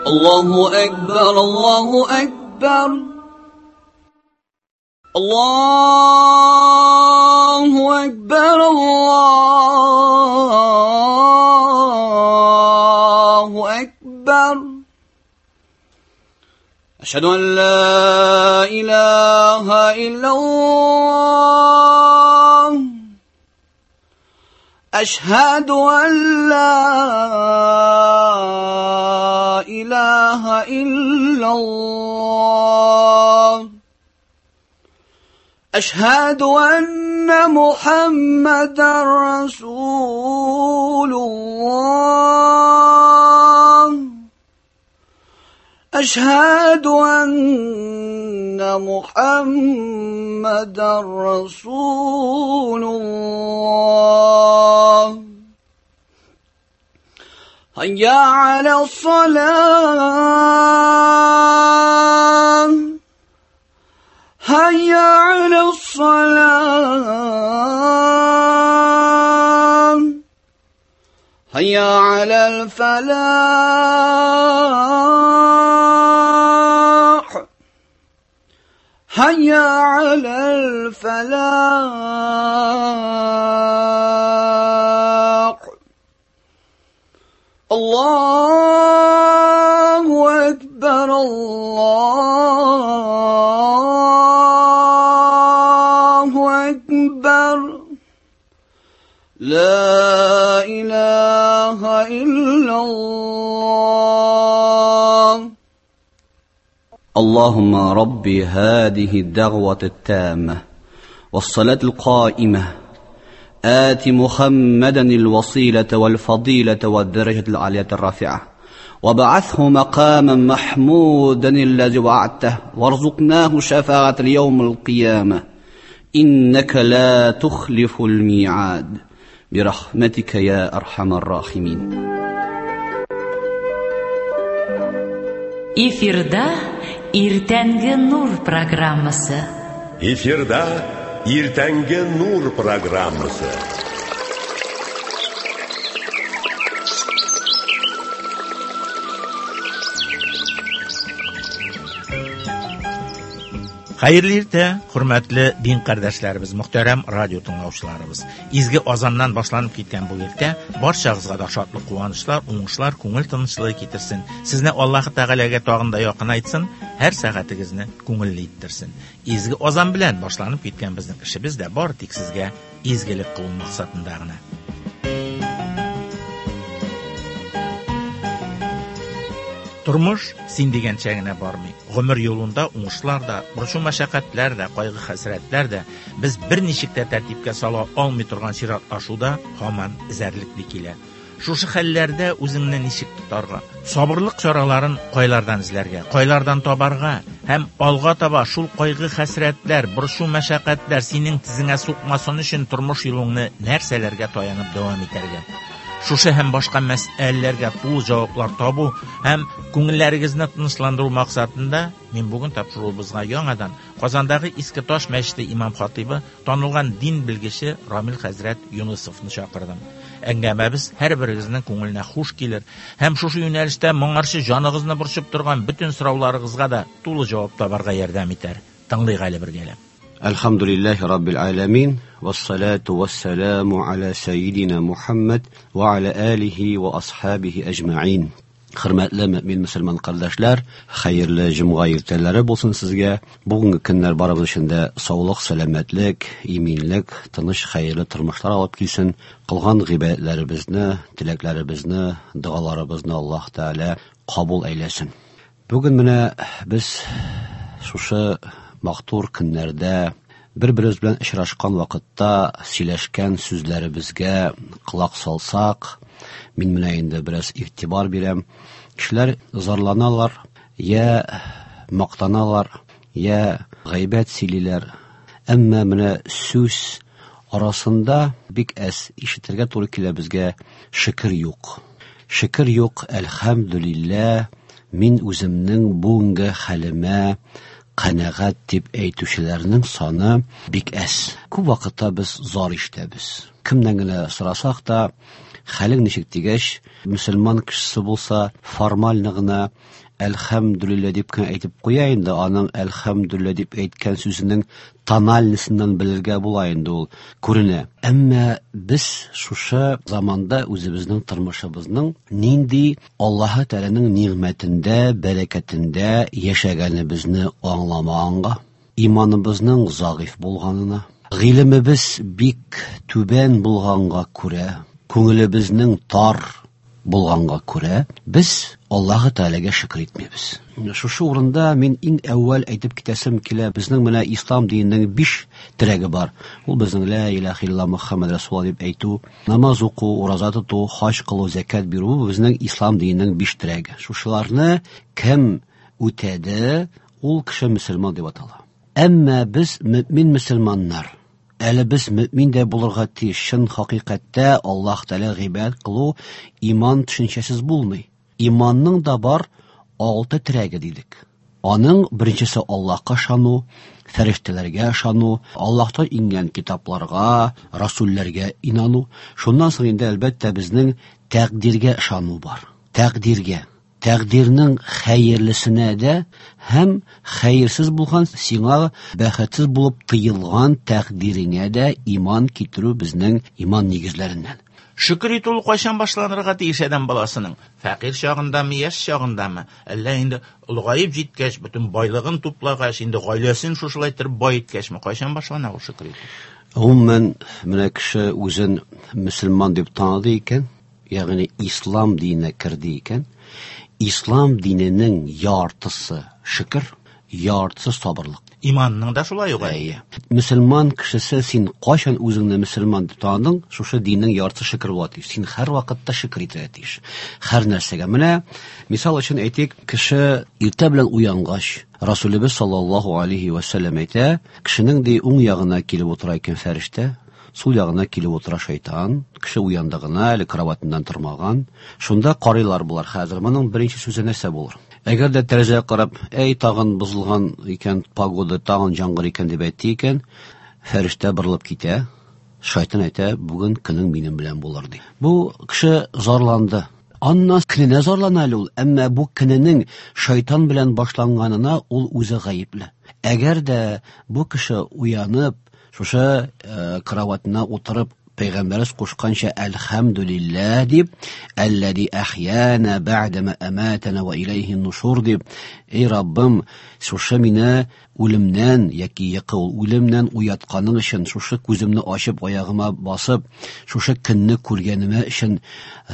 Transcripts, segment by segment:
الله أكبر الله أكبر الله أكبر الله أكبر أشهد أن لا إله إلا الله أشهد أن لا إله إلا الله أشهد أن محمدا رسول الله أشهد أن محمدا رسول الله هيا على الصلاة هيا على الصلاة هيا على الفلاح هيا على الفلاح الله أكبر الله أكبر لا إله إلا الله اللهم رب هذه الدعوة التامة والصلاة القائمة آت محمدا الوسيلة والفضيلة والدرجة العالية الرافعة وابعثه مقاما محمودا الذي وعدته وارزقناه شفاعة اليوم القيامة إنك لا تخلف الميعاد برحمتك يا أرحم الراحمين. Эфирда Иртәнге нур программасы. Эфирда Иртәнге нур программасы. Хәерле иртә, хөрмәтле дин кардәшләребез, мөхтәрәм радио тыңлаучыларыбыз. Изге азаннан башланып киткән бу иртә барчагызга да шатлык, куанычлар, уңышлар, күңел тынычлыгы китерсен. Сезне Аллаһ Тәгаләгә тагын да якынайтсын, һәр сәгатегезне күңелле иттерсен. Изге азан белән башланып киткән безнең эшебез дә бар тик сезгә изгелек кылу максатында гына. Тормыш син дигәнчә генә бармый. Гомер юлында уңышлар да, борчу мәшәкатьләр дә, кайгы-хәсрәтләр дә без берничек тә тәртипкә сала алмый торган чиратлашуда һаман эзәрлекли килә. Шушы хәлләрдә үзеңне ничек тотарга, сабырлык чараларын кайлардан эзләргә, кайлардан табарга һәм алга таба шул кайгы-хәсрәтләр, борчу мәшәкатьләр синең тезеңә сукмасын өчен тормыш юлыңны нәрсәләргә таянып дәвам итәргә? Шушы һәм башка мәсьәләләргә тулы җаваплар табу һәм күңелләрегезне тынычландыру максатында мин бүген тапшыруыбызга яңадан Казандагы Иске Таш мәчете имам хатибы, танылган дин белгече Рамил хәзрәт Юнысовны чакырдым. Әңгәмәбез һәрберегезнең күңеленә хуш килер һәм шушы юнәлештә моңарчы җаныгызны борчып торган бөтен сорауларыгызга да тулы җавап табарга ярдәм итәр. Тыңлыйк әле бергәләп. الحمد لله رب العالمين والصلاة والسلام على سيدنا محمد وعلى آله وأصحابه أجمعين. Хөрмәтле мөмин мөселман кардәшләр, хәерле җомга иртәләре булсын сезгә. Бүгенге көннәр барыбыз өчен дә саулык, сәламәтлек, иминлек, тыныч, хәерле тормышлар алып килсен. Кылган гыйбадәтләребезне, теләкләребезне, догаларыбызны Аллаһ Тәгалә кабул әйләсен. Бүген менә без шушы матур көннәрдә бер-беребез белән очрашкан вакытта сөйләшкән сүзләребезгә колак салсак, мин менә инде бераз игътибар бирәм. Кешеләр зарланалар, я мактаналар, я гайбәт сөйлиләр. Әмма менә сүз арасында бик әз ишетергә туры килә безгә шөкер юк. Шөкер юк, әлхәмдүлилләһ, мин үземнең бүгенге хәлемә канәгать дип әйтүчеләрнең саны бик әз. Күп вакытта без зар ишетәбез. Кемнән генә сорасак та, Хәлең ничек дигәч, мөселман кешесе булса, формально гына әлхәмдүлилләһ дип кенә әйтеп куя инде, аның әлхәмдүлилләһ дип әйткән сүзенең тональностыннан белергә була инде ул, күренә. Әмма без шушы заманда үзебезнең тормышыбызның нинди Аллаһы Тәгаләнең нигъмәтендә, бәрәкәтендә яшәгәнебезне аңламаганга, иманыбызның зәгыйфь булганына, гыйлемебез бик түбән булганга күрә, күңелебезнең тар булганга күрә, без Аллаһы Тәгаләгә шөкер итмибез. Шушы урында мин иң әүвәл әйтеп китәсем килә, безнең менә ислам диненең 5 терәге бар. Ул безнең ла илаһа илла Мухаммад Расулуллаһ дип әйтү, намаз уку, ураза тоту, хаҗ кылу, зәкят бирү, безнең ислам диненең 5 терәге. Шушыларны кем үтәде, ул кеше мөселман дип атала. Әмма без мөмин мөселманнар, әле без мөмин дә булырга тиеш. Чын хакыйкатьтә Аллаһ Тәгалә гыйбадәт кылу иман төшенчәсез булмый. Иманның да бар 6 терәге дидек. Аның беренчесе Аллаһка ышану, фәрештәләргә ышану, Аллаһтан иңгән китапларга, расулләргә инану. Шуннан соң инде әлбәттә безнең тәкъдиргә ышану бар. Тәкъдиргә. Тәкъдирнең хәерлесенә дә һәм хәерсез булган, сиңа бәхетсез булып тыелган тәкъдиреңә дә иман китерү безнең иман нигезләреннән. Шөкер итү ул кайчан башланырга тиеш адәм баласының? Фәкыйрь чагындамы, яшь чагындамы? Әллә инде олыгаеп җиткәч, бөтен байлыгын туплагач, инде гаиләсен шушылай иттереп бай иткәчме, кайчан башлана ул шөкер итү? Гомумән, менә кеше үзен мөселман дип таныды икән, ягъни ислам диненә керде икән, ислам диненең яртысы шөкер, яртысы сабырлык. Иманның да шулай ук. Әйе. Мөселман кешесе, син кайчан үзеңне мөселман дип таныдың, шушы диннең яртысы шөкер була тиеш. Син һәр вакытта шөкер итәргә тиеш. Һәр нәрсәгә. Менә мисал өчен әйтик, кеше иртә белән уянгач, Расулебез саллаллаһу алейхи ва сәлләм әйтә, кешенең ди уң ягына килеп утыра икән фәрештә, сул ягына килеп утыра шайтан. Кеше уянды гына, әле кроватыннан тормаган. Шунда карыйлар булар хәзер. Моның беренче сүзе нәрсә булыр? Әгәр дә тәрәзәгә карап, әй, тагын бозылган икән погода, тагын яңгыр икән дип әйтте икән, фәрештә борылып китә. Шайтан әйтә, бүген көнең минем белән булыр ди. Бу кеше зарланды. Аннан көненә зарлана әле ул, әмма бу көненең шайтан белән башланганына ул үзе гаепле. Әгәр дә бу кеше уянып, шушы кроватына утырып, Пәйгамбәребез кушканча әлхәмдүлилләһ дип, әлләзи әхьяна бәгъдә аматана ва иләйһи нушур дип, эй Раббым, шушы мине үлемнән яки йокы ул үлемнән уятканың өчен, шушы күземне ачып аягыма басып, шушы көнне күргәнемә өчен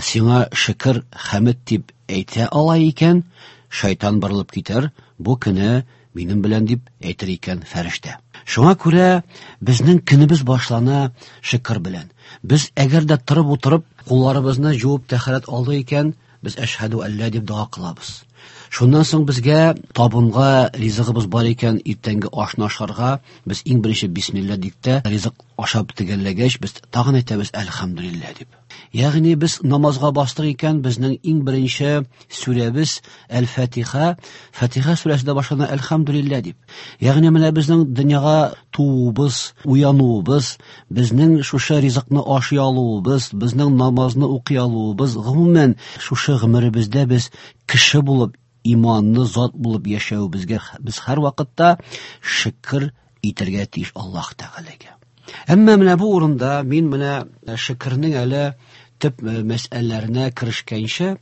сиңа шөкер, хәмд дип әйтә ала икән, шайтан борылып китәр, бу көне минем белән дип әйтер икән фәрештә. Шуңа күрә безнең көнебез башлана шөкер белән. Без әгәр дә торып утырып, кулларыбызны жуып тәһарәт алдык икән, без әшһәду әллә дип дога кылабыз. Шуннан соң безгә табынга ризыгыбыз бар икән, иртәнге ашны ашарга, без иң беренче бисмилла дип тә ризык ашап төгәлләгәч, без тагын әйтәбез әлхәмдүлилләһ дип. Ягъни без намазга бастык икән, безнең иң беренче сүрәбез Әл-Фатиха, Фатиха сүрәсе дә башлана әлхәмдүлилләһ дип. Ягъни менә безнең дөньяга тууыбыз, уянуыбыз, безнең шушы ризыкны ашый алуыбыз, безнең намазны укый алуыбыз, гомумән шушы гомеребездә без кеше булып, иманлы зат булып яшәвебезгә без һәр вакытта шөкер итәргә тиеш Аллаһ Тәгаләгә. Әмма менә бу урында мин менә шөкернең әле төп мәсьәләләренә керешкәнче,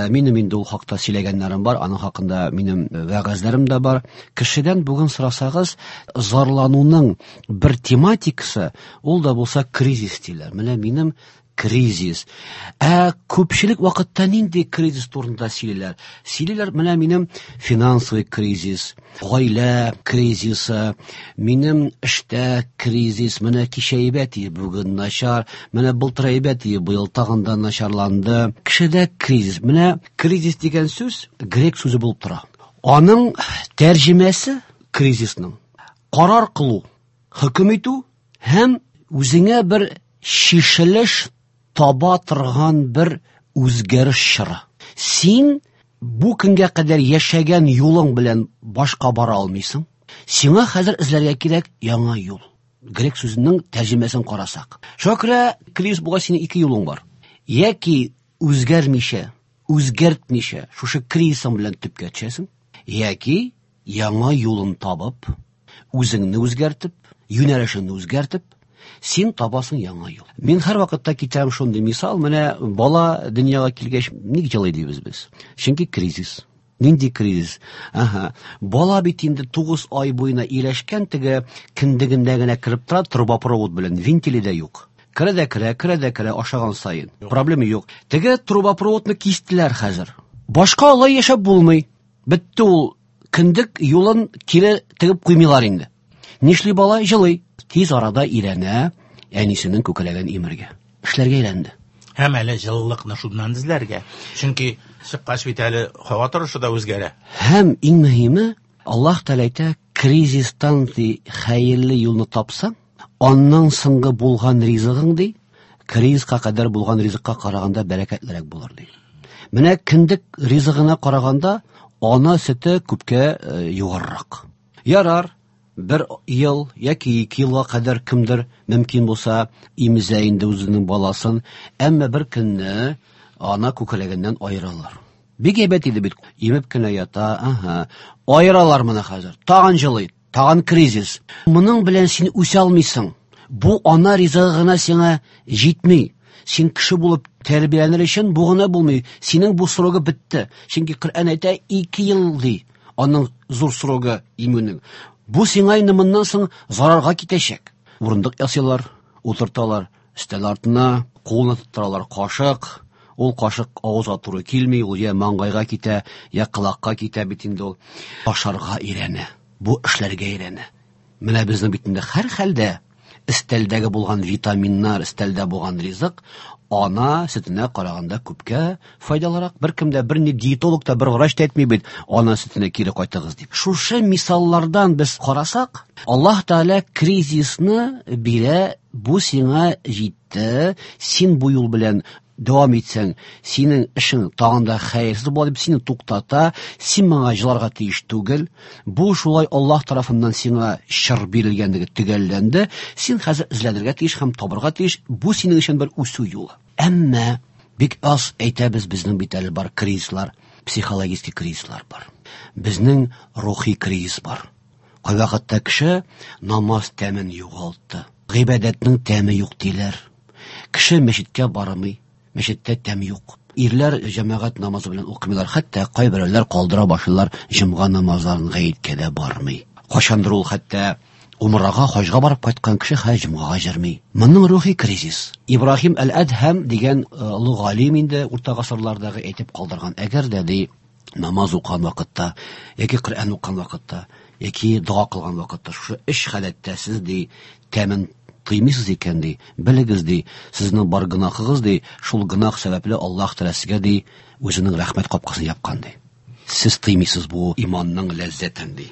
минем инде ул хакта сөйләгәннәрем бар, аның хакында минем вәгазьләрем дә бар. Кешедән бүген сорасагыз, зарлануның бер тематикасы, ул да булса кризис диләр. Менә минем кризис. Ә күпчелек вакытта нинди кризис турында сөйлиләр? Сөйлиләр, менә минем финансовый кризис, гаилә кризисы, минем эштә кризис, менә кичә әйбәт иде, бүген начар, менә былтыр әйбәт иде, быел тагын да начарланды. Кешедә кризис. Менә кризис дигән сүз грек сүзе булып тора. Аның тәрҗемәсе кризисның карар кылу, хөкем итү һәм үзеңә бер чишелеш таба торган бер үзгәреш чоры. Син бу көнгә кадәр яшәгән юлың белән башка бара алмыйсың. Сиңа хәзер эзләргә кирәк яңа юл. Грек сүзенең тәрҗемәсен карасак. Шуңа күрә кризис булгач синең ике юлың бар. Яки үзгәрмичә, үзгәртмичә, шушы кризисың белән төпкә төшәсең, яки яңа юлын табып, үзеңне үзгәртеп, юнәлешеңне үзгәртеп, син табасың яңа юл. Мин һәр вакытта китерәм шундый мисал, менә бала дөньяга килгәч, ник җылый дибез без? Чөнки кризис. Нинди кризис? Ага. Бала бит инде 9 ай буена ияләшкән, теге кендегендә генә кереп тора, трубопровод белән, вентиле дә юк. Керә дә керә, керә дә керә, ашаган саен. Проблема юк. Теге трубопроводны кистеләр хәзер. Башка алай яшәп булмый. Бетте ул кендек юлын кире тегеп куймыйлар инде. Нишли бала? Җылый. Тиз арада өйрәнә әнисенең күкрәген имергә. Эшләргә өйрәнде. Һәм әле җылылыкны шуннан эзләргә. Чөнки чыккач бит әле һава торышы да үзгәрә. Һәм иң мөһиме, Аллаһ Тәгалә әйтә, кризистан ди хәерле юлны тапсаң, аннан соңгы булган ризыгың ди, кризиска кадәр булган ризыкка караганда бәрәкәтлерәк булыр ди. Менә кендек ризыгына караганда ана сөте күпкә югарырак. Ярар, бер ел яки 2 елга кадәр кемдер мөмкин булса имезә инде үзенең баласын, әмма бер көнне ана күкрәгеннән аералар. Бик әйбәт иде бит, имеп кенә ята, ага. Аералар моны хәзер. Тагын җылый, тагын кризис. Моның белән син үсә алмыйсың. Бу ана ризыгы гына сиңа җитми. Син кеше булып тәрбияләнер өчен бу гына булмый. Синең бу срогы бетте. Чөнки Коръән әйтә, 2 ел ди. Аның зур срогы имүнең. Бу сиңа инде моннан соң зарарга китәчәк. Урындык ясыйлар, утырталар өстәл артына, кулына тоттыралар кашык. Ул кашык авызга туры килми, ул я маңгайга китә, я колакка китә бит инде ул. Ашарга өйрәнә, бу эшләргә өйрәнә. Менә безнең бит инде һәр хәлдә өстәлдәге булган витаминнар, өстәлдә булган ризык ана сөтенә караганда күпкә файдалырак. Беркем дә, бер ни диетолог та, бер врач та әйтми бит, ана сөтенә кире кайтыгыз дип. Шушы мисаллардан без карасак, Аллаһ Тәгалә кризисны бирә, бу сиңа җитте, син бу юл белән дәвам итсәң, синең эшең тагын да хәерсез була дип сине туктата, син моңа җыларга тиеш түгел. Бу шулай Аллаһ тарафыннан сиңа чыр бирелгәнлеге төгәлләнде. Син хәзер эзләнергә тиеш һәм табырга тиеш. Бу синең өчен бер үсү юлы. Әмма бик аз әйтәбез, безнең бит әле бар кризислар, психологический кризислар бар. Безнең рухи кризис бар. Кайвакытта кеше намаз тәмен югалтты. Гыйбадәтнең тәме юк диләр. Кеше мәчеткә бармый, мәчеттә тәм юк. Ирләр җәмәгать намазы белән укымыйлар, хәтта кайберәүләр калдыра башлыйлар, җомга намазларын гаеткә дә бармый. Кайчандыр ул хәтта умрага, хаҗга барып кайткан кеше хәзер җомгага җөрми. Моның рухи кризис. Ибраһим әл-Әдһәм дигән олы галим инде урта гасырлардагы әйтеп калдырган, әгәр дә ди намаз укыган вакытта, яки Коръән укыган вакытта, яки дога кылган вакытта шушы өч халәттә сез ди тәмен тыймыйсыз икән ди, белегез ди, сезнең бар гөнаһыгыз ди, шул гөнаһ сәбәпле Аллаһ Тәгалә сезгә ди үзенең рәхмәт капкасын япкан ди. Сез тыймыйсыз бу иманның ләззәтен ди.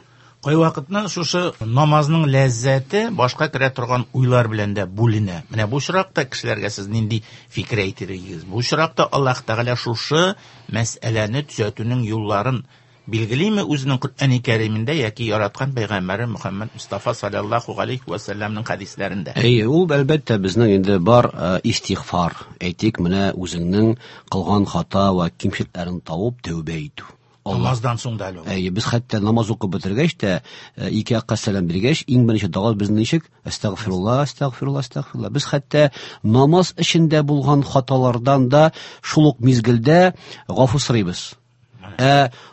Кайвакытны шушы намазның ләззәте башка керә торган уйлар белән дә бүленә. Менә бу очракта кешеләргә сез нинди фикер әйтер идегез? Бу очракта Аллаһ Тәгалә шушы мәсьәләне төзәтүнең юлларын билгелиме үзенең Коръәни Кәримендә яки яраткан пәйгамбәре Мөхәммәд Мустафа саллаллаһу алейхи ва сәлләмнең хәдисләрендә? Әйе, ул әлбәттә безнең инде бар истигъфар. Әйтик, менә үзеңнең кылган хата ва кимчелекләрен табып тәүбә итү. Намаздан соң да әле ул. Әйе, без хәтта намаз укып бетергәч тә, ике якка сәлам биргәч, иң беренче дога безнең ничек? Әстәгъфирулла, әстәгъфирулла, әстәгъфирулла. Без хәтта намаз эчендә булган хаталардан да шул ук мизгелдә гафу сорыйбыз.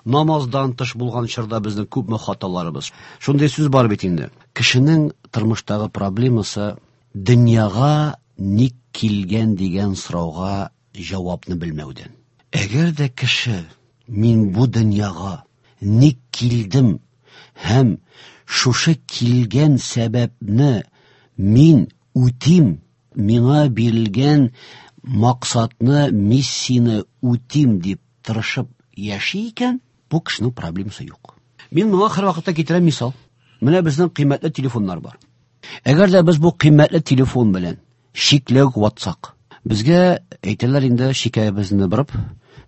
Намаздан тыш булган чорда безнең күпме хаталарыбыз. Шундый сүз бар бит инде. Кешенең тормыштагы проблемасы дөньяга ник килгән дигән сорауга җавапны белмәүдән. Әгәр дә кеше мин бу дөньяга ник килдем һәм шушы килгән сәбәпне мин үтим, миңа бирелгән максатны, миссияне үтим дип тырышып яши икән, бу кешенең проблемасы юк. Мин моңа һәр вакытта китерәм мисал. Менә безнең кыйммәтле телефоннар бар. Әгәр дә без бу кыйммәтле телефон белән чикләү ватсак, безгә әйтәләр инде шикаябезне борып,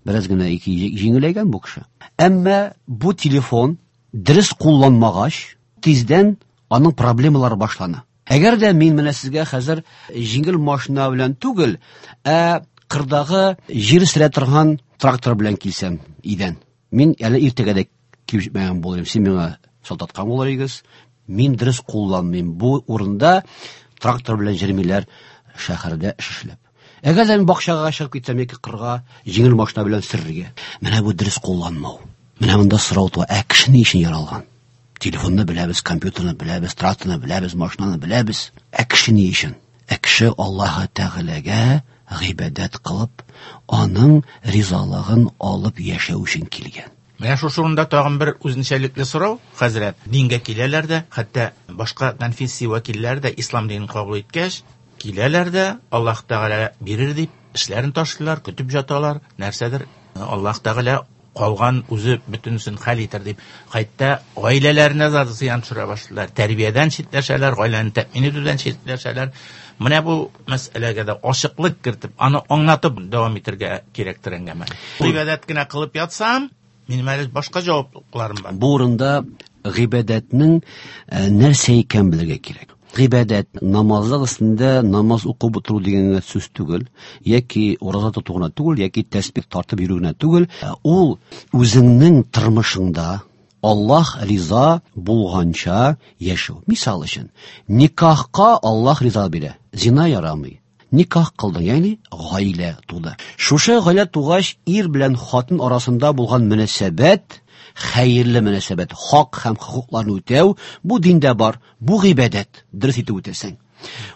бераз генә ике җиңеләйгән бу кеше. Әмма бу телефон дөрес кулланмагач, тиздән аның проблемалары башлана. Әгәр дә мин менә сезгә хәзер җиңел машина белән түгел, ә Кырдагы җир сөрә торган трактор белән килсәм идән. Мин әле иртәгә дә килеп җитмәгән булыр идем. Син миңа салтаткан булыр идегез. Мин дөрес кулланмыйм. Бу урында трактор белән җөрмиләр шәһәрдә эш эшләп. Әгәр дә мин бакчага чыгып китсәм яки кырга җиңел машина белән сөрергә. Менә бу дөрес кулланмау. Менә монда сорау туа. Ә кеше ни өчен яралган? Телефонны беләбез, компьютерны беләбез, тракторны беләбез, машинаны беләбез. Ә кеше ни өчен? Ә кеше Аллаһы Тәгаләгә гыйбадәт кылып, аның ризалыгын алып яшәү өчен килгән. Менә шушы урында тагын бер үзенчәлекле сорау, хәзрәт. Дингә киләләр дә, хәтта башка конфессия вәкилләре дә ислам динен кабул иткәч, киләләр дә, Аллаһ Тәгалә бирер дип, эшләрен ташлыйлар, көтеп жаталар, нәрсәдер Аллаһ Тәгалә калган үзе бөтенесен хәл итәр дип, хәтта гаиләләренә дә зыян төшерә башлыйлар, тәрбиядән читләшәләр, гаиләне тәэмин итүдән читләшәләр. Менә бу мәсьәләгә дә ачыклык кертеп, аны аңлатып дәвам итәргә кирәктер әңгәмә. Гыйбадәт кенә кылып ятсам, минем әле башка җаваплылыкларым бар. Бу урында гыйбадәтнең нәрсә икәнен белергә кирәк. Гыйбадәт намазлык өстендә намаз укып утыру дигән генә сүз түгел, яки ураза тоту гына түгел, яки тәсбих тартып йөрү генә түгел. Ул үзеңнең тормышыңда Аллаһ риза булганча яшәү. Мисал өчен, никахка Аллаһ риза бирә, зина ярамый. Никах кылдың, ягъни гаилә туды. Шушы гаилә тугач, ир белән хатын арасында булган мөнәсәбәт, хәерле мөнәсәбәт, хак һәм хокукларны үтәү, бу диндә бар, бу гыйбадәт, дөрес итеп үтәсәң.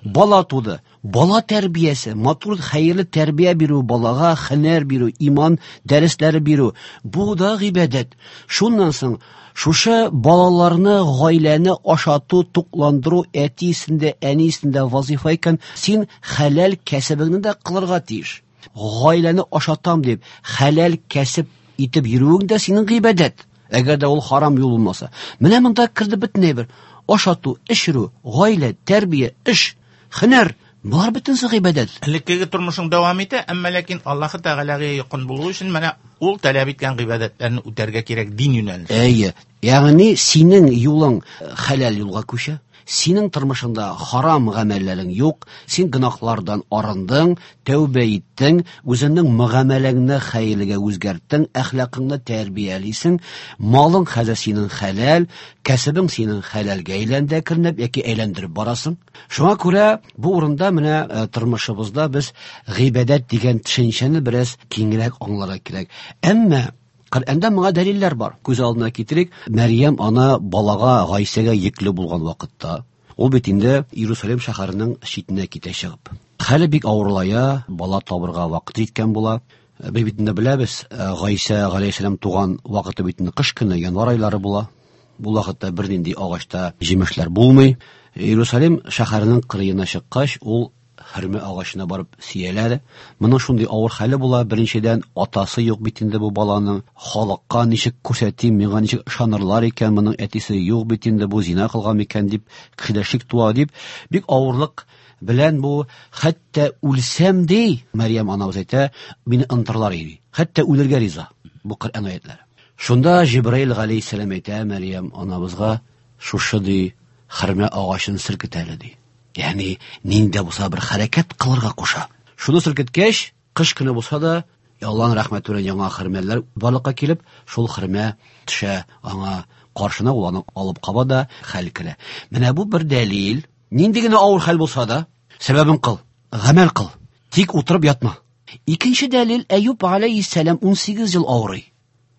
Бала туды, бала тәрбиясе, матур хәерле тәрбия бирү, балага һөнәр бирү, иман дәресләре бирү, бу да гыйбадәт. Шуннан соң шушы балаларны, гаиләне ашату, тукландыру әтисендә, әнисендә вазифа икән, син хәләл кәсебеңне дә кылырга тиеш. Гаиләне ашатам дип, хәләл кәсеп итеп йөрүең дә синең гыйбадәт. Әгәр дә ул харам юл булмаса. Менә монда керде бөтен әйбер. Ашату, эчерү, гаилә, тәрбия, эш, һөнәр, болар бөтенесе гыйбадәт. Элеккеге тормышың дәвам итә, әмма ләкин Аллаһы Тәгаләгә якын булу өчен менә ул таләп иткән гыйбадәтләрне үтәргә кирәк дин юнәлеше. Әйе, ягъни синең юлың хәләл юлга күчә. Синең тормышыңда харам гамәлләрең юк, син гөнаһлардан арындың, тәүбә иттең, үзеңнең мөгамәләңне хәерлегә үзгәрттең, әхлакыңны тәрбиялисең, малың хәзер синең хәләл, кәсебең синең хәләлгә әйләнде әкренләп яки әйләндереп барасың. Шуңа күрә бу урында менә тормышыбызда без гыйбадәт дигән төшенчәне бераз киңрәк аңларга кирәк. Әмма Коръәндә моңа дәлилләр бар. Күз алдына китерик, Мәрьям ана балага Гайсәгә йөкле булган вакытта, ул бит инде Иерусалим шәһәренең читенә китә чыгып. Хәле бик авырлая, бала табырга вакыт җиткән була. Без бит инде беләбез, Гайсә галәйһиссәлам туган вакыты бит инде кыш көне, январь айлары була. Бу вакытта бернинди агачта җимешләр булмый. Иерусалим шәһәренең кырыена чыккач, ул хөрмә агачына барып сөяләр. Моның шундый авыр хәле була. Беренчедән, атасы юк бит инде бу баланың. Халыкка ничек күрсәтим, миңа ничек ышанырлар икән, моның әтисе юк бит инде, бу зина кылган микән дип, кешедә шик туа дип, бик авырлык белән бу, хәтта үлсәм ди, Мәрьям анабыз әйтә, мине онытырлар иде. Хәтта үлергә риза. Бу Коръән аятлары. Шунда Җибраил галәйһиссәлам әйтә Мәрьям анабызга, шушы ди, хөрмә агачын селкет әле ди. Ягъни нинди булса бер хәрәкәт кылырга куша. Шуны селкеткәч, кыш көне булса да, Аллаһның рәхмәте белән яңа хөрмәләр барлыкка килеп, шул хөрмә төшә аңа каршына, ул аны алып каба да хәл керә. Менә бу бер дәлил. Нинди генә авыр хәл булса да, сәбәбен кыл, гамәл кыл. Тик утырып ятма. Икенче дәлил, Әюб алейһиссәлам 18 ел авырый.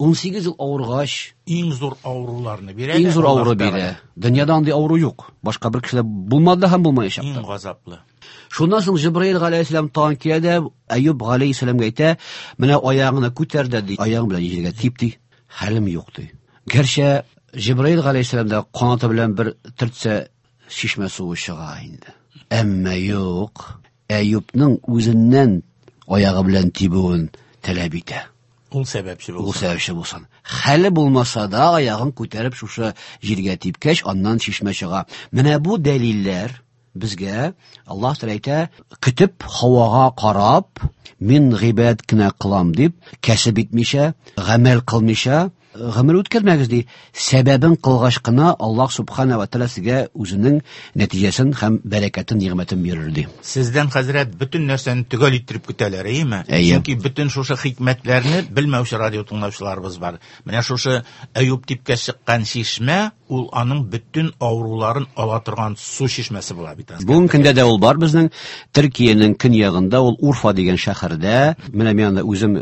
18 ел авыргач, иң зур авыруларны бирә. Иң зур авыру бирә. Дөньяда андый авыру юк. Башка бер кешедә булмады һәм булмаячак. Иң газаплы. Шуннан соң Җибраил галәйһиссәлам тагын килә дә Әюб галәйһиссәламгә әйтә, менә аягыңны күтәр дә ди, аягың белән җиргә тип ди. Хәлем юк ди. Гәрчә Җибраил галәйһиссәлам да канаты белән бер төртсә чишмә суы чыга инде. Әмма юк, Әюбның үзеннән аягы белән тибүен таләп итә. Ул сәбәпче булсын. Ул сәбәпче булсын. Хәле булмаса да аягын күтәреп шушы җиргә типкәч, аннан чишмә чыга. Менә бу дәлилләр безгә Аллаһ Тәгалә әйтә, көтеп һавага карап, мин гыйбадәт кенә кылам дип, кәсеп итмичә, гамәл кылмыйча, гомер үткәрмәгез ди. Сәбәбен кылгач кына Аллаһ субхана ва тааля сезгә үзенең нәтиҗәсен һәм бәрәкәтен, нигъмәтен бирер ди. Сездән, хәзрәт, бөтен нәрсәне төгәл иттереп көтәләр, әйеме? Әйе. Чөнки бөтен шушы хикмәтләрне белмәүче радио тыңлаучыларыбыз бар. Менә шушы Әюп типкә чыккан чишмә, ул аның бөтен авыруларын ала торган су чишмәсе була бит. Бүгенге көндә дә ул бар безнең Төркиянең көньягында, ул Урфа дигән шәһәрдә. Менә мин анда үзем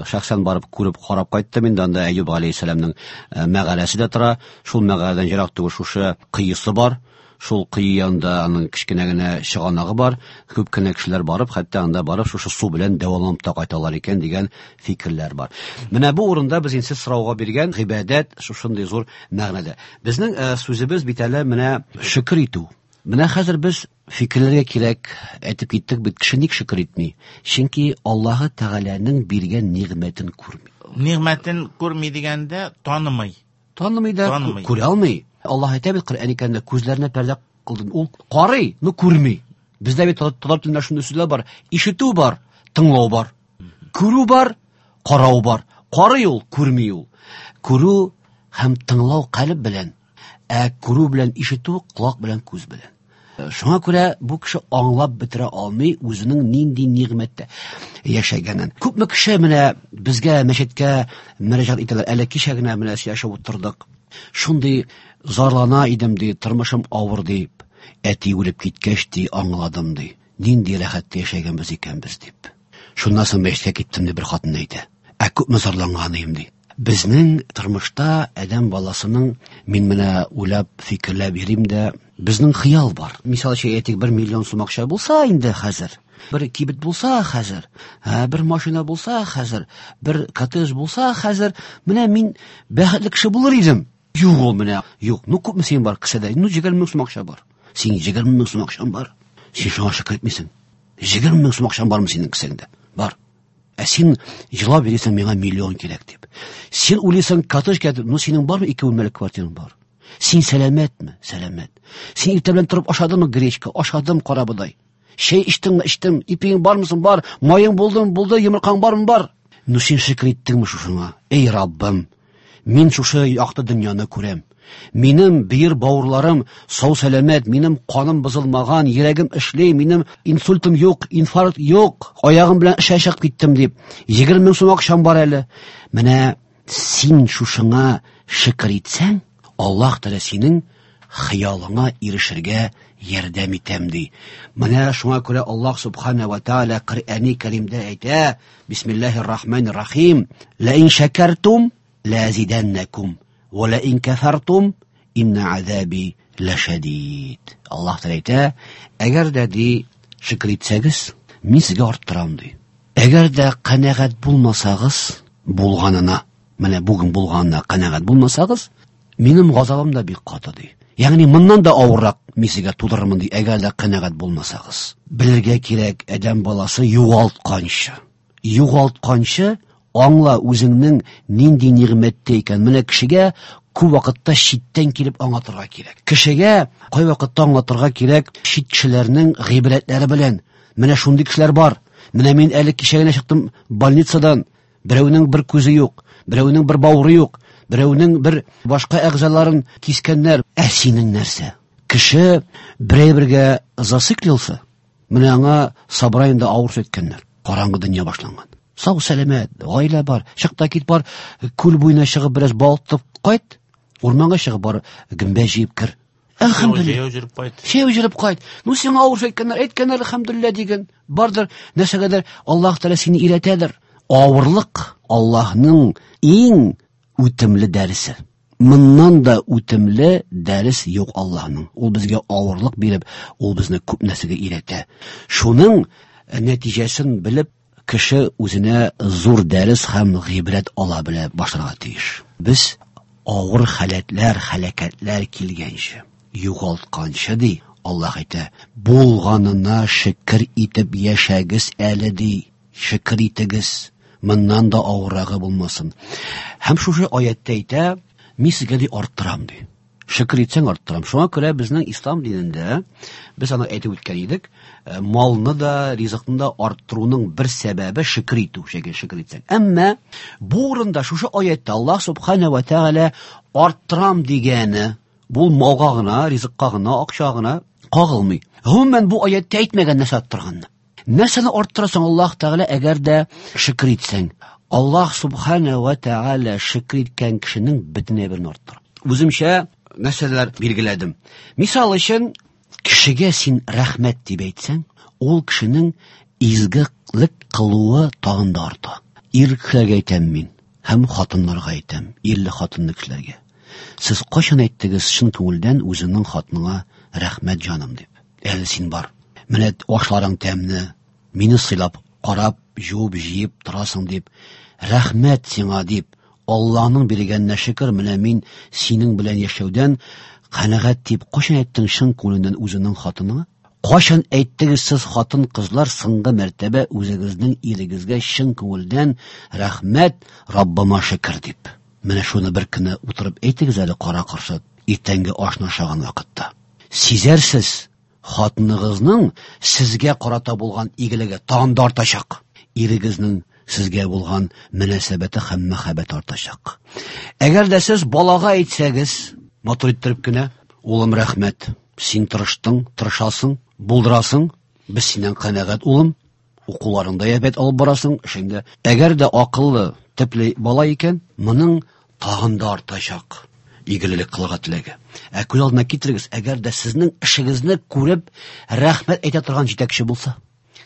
шәхсән барып күреп карап кайттым инде. Анда Әюп алейһиссәламның мәгарәсе дә тора. Шул мәгарәдән ерак түгел шушы кыесы бар. Шул кое янында аның кечкенә генә чыганагы бар. Күп кенә кешеләр барып, хәтта анда барып шушы су белән дәваланып та кайталар икән дигән фикерләр бар. Менә бу урында без инде сез сорауга биргән гыйбадәт шушындый зур мәгънәдә. Безнең сүзебез бит әле менә шөкер итү. Менә хәзер без фикерләргә кирәк әйтеп киттек бит, кеше ник шөкер итми? Чөнки Аллаһы Тәгаләнең биргән нигъмәтен күрми. Нигъмәтен күрми дигәндә танымый. Танымый да, Танымый. күрә алмый. Аллаһ әйтә бит Коръән икәнендә, күзләренә пәрдә кылдым. Ул карый, но күрми. Бездә бит татар телендә шундый сүзләр бар. Ишетү бар, тыңлау бар. Күрү бар, карау бар. Карый ул, күрми ул. Күрү һәм тыңлау калеб белән, ә күрү белән ишетү колак белән, күз белән. Шуңа күрә бу кеше аңлап бетерә алмый үзенең нинди нигъмәттә яшәгәнен. Күпме кеше менә безгә мәчеткә мөрәҗәгать итәләр. Әле кичә генә менә сөйләшеп утырдык. Шундый зарлана идем ди, тормышым авыр дип. Әти үлеп киткәч ди, аңладым ди. Нинди рәхәттә яшәгәнбез икән без дип. Шуннан соң мәчеткә киттем дип бер хатын әйтә. Ә күпме зарланган идем ди. Безнең тормышта адәм баласының, мин менә уйлап, фикерләп йөрим дә, безнең хыял бар. Мисал өчен әйтик, 1 миллион сум акча булса инде хәзер, бер кибет булса хәзер, бер машина булса хәзер, бер коттедж булса хәзер, менә мин бәхетле кеше булыр идем. Юк ул менә, юк. Ну күпме синең бар кесәдә? Ну 20 мең сум акча бар. Синең 20 мең сум акчаң бар. Син шуңа шөкер итмисең. 20 мең сум акчаң бармы синең кесәңдә? Бар. Ә син җылап йөрисең, миңа миллион кирәк дип. Син уйлыйсың, коттедж кирәк дип. Ну синең бармы 2 бүлмәле квартираң бар? Син сәламәтме? Сәламәт. Син иртә белән торып ашадыңмы гречка? Ашадым карабодай. Чәй эчтеңме? Эчтем. Ипиең бармы соң? Бар. Маең булдымы? Булды. Йомыркаң бармы? Бар. Ну син шөкер иттеңме шушыңа? Эй Раббым, мин шушы якты дөньяны күрәм. Минем бөер бавырларым сау сәламәт, минем каным бозылмаган, йөрәгем эшли, минем инсультым юк, инфаркт юк, аягым белән эшә чыгып киттем дип. 20 мең сум акчам бар әле. Менә син шушыңа шөкер итсәң, Аллаһ Тәгалә синең хыялыңа ирешергә ярдәм итәм ди. Менә шуңа күрә Аллаһ субхана ва тааля Коръәни Кәримдә әйтә: Бисмиллаһир рахманир рахим. Ла ин шакартум ла азиданнакум ва ла ин кафартум инна азаби лашадид. Аллаһ Тәгалә әйтә: әгәр дә ди шөкер итсәгез, мин сезгә арттырам ди. Әгәр дә канәгать булмасагыз, булганына, менә бүген булганына канәгать булмасагыз, минем газабым да бик каты ди. Ягъни моннан да авыррак мин сезгә тудырырмын ди, әгәр дә канәгать булмасагыз. Белергә кирәк, адәм баласы югалтканчы. Югалтканчы аңла үзеңнең нинди нигъмәттә икән. Менә кешегә күп вакытта читтән килеп аңлатырга кирәк. Кешегә кай вакытта аңлатырга кирәк чит кешеләрнең гыйбрәтләре белән. Менә шундый кешеләр бар. Менә мин әле кичә генә чыктым больницадан. Берәүнең бер күзе юк, берәүнең бер бавыры юк, берәүнең бер башка әгъзаларын кискәннәр. Ә синең нәрсә? Кеше берәй бергә зациклился, менә аңа собраниедә авыр сүз әйткәннәр. Караңгы дөнья башланган. Сау сәламәт, гаилә бар, чык та кит бар, күл буена чыгып бераз балык тотып кайт, урманга чыгып бар, гөмбә җыеп кер. Әлхәмдүлилләһ. Җәяү йөреп кайт. Җәяү йөреп кайт. Ну сиңа авыр сүз әйткәннәр, әйткәннәр, әлхәмдүлилләһ диген. Бардыр, нәрсәгәдер Аллаһ Тәгалә сине өйрәтәдер. Авырлык Аллаһның иң үтемле дәресе. Моннан да үтемле дәрес юк Аллаһның. Ул безгә авырлык биреп, ул безне күп нәрсәгә өйрәтә. Шуның нәтиҗәсен белеп, кеше үзенә зур дәрес һәм гыйбрәт ала белә башларга тиеш. Без авыр халәтләр, халәкәтләр килгәнче, югалтканчы ди, Аллаһ әйтә, булганына шөкер итеп яшәгез әле ди, шөкер итегез, моннан да авыррагы булмасын. Һәм шушы аятта әйтә, мин сезгә ди арттырам ди. Шөкер итсәң арттырам. Шуңа күрә безнең ислам динендә без аны әйтеп үткән идек, малны да, ризыкны да арттыруның бер сәбәбе шөкер итү, шөкер итсәң. Әмма бу урында шушы аятта Аллаһ субхана ва тааля арттырам дигәне бу малга гына, ризыкка гына, акча гына кагылмый. Гомумән бу аятта әйтмәгән нәрсә арттырганны. Нәрсәне арттырасың Аллаһ Тәгалә әгәр дә шөкер итсәң? Аллаһ субхана ва тааля шөкер иткән кешенең бөтен әйберен арттыра. Үземчә нәрсәләр билгеләдем. Мисал өчен, кешегә син рәхмәт дип әйтсәң, ул кешенең изгелек кылуы тагын да арта. Ир кешеләргә әйтәм мин, һәм хатыннарга әйтәм, ирле хатынлы кешеләргә. Сез кайчан әйттегез чын күңелдән үзеңнең хатыныңа рәхмәт җаным дип? Әле син бар. Менә ашларың тәмле, мине сыйлап, карап, жуып, җыеп торасың дип, рәхмәт сиңа дип, Аллаһның биргәненә шөкер, менә мин синең белән яшәүдән канәгать дип кайчан әйттең чын күңелеңнән үзеңнең хатыныңа? Кайчан әйттегез сез хатын-кызлар соңгы мәртәбә үзегезнең ирегезгә чын күңелдән рәхмәт, Раббыма шөкер дип? Менә шуны бер көнне утырып әйтегез әле кара-каршы иртәнге ашны ашаган вакытта. Сизәрсез, хатыныгызның сезгә карата булган игелеге тагын да артачак. Ирегезнең сезгә булган мөнәсәбәте һәм мәхәббәте артачак. Әгәр дә сез балага әйтсәгез, матур иттереп кенә, улым рәхмәт, син тырыштың, тырышасың, булдырасың, без синнән канәгать, улым, укуларыңда әйбәт алып барасың, эшеңдә. Әгәр дә акыллы, төпле бала икән, моның тагын да артачак игелек кылырга теләге. Ә күз алдына китерегез, әгәр дә сезнең эшегезне күреп, рәхмәт әйтә торган җитәкче булса,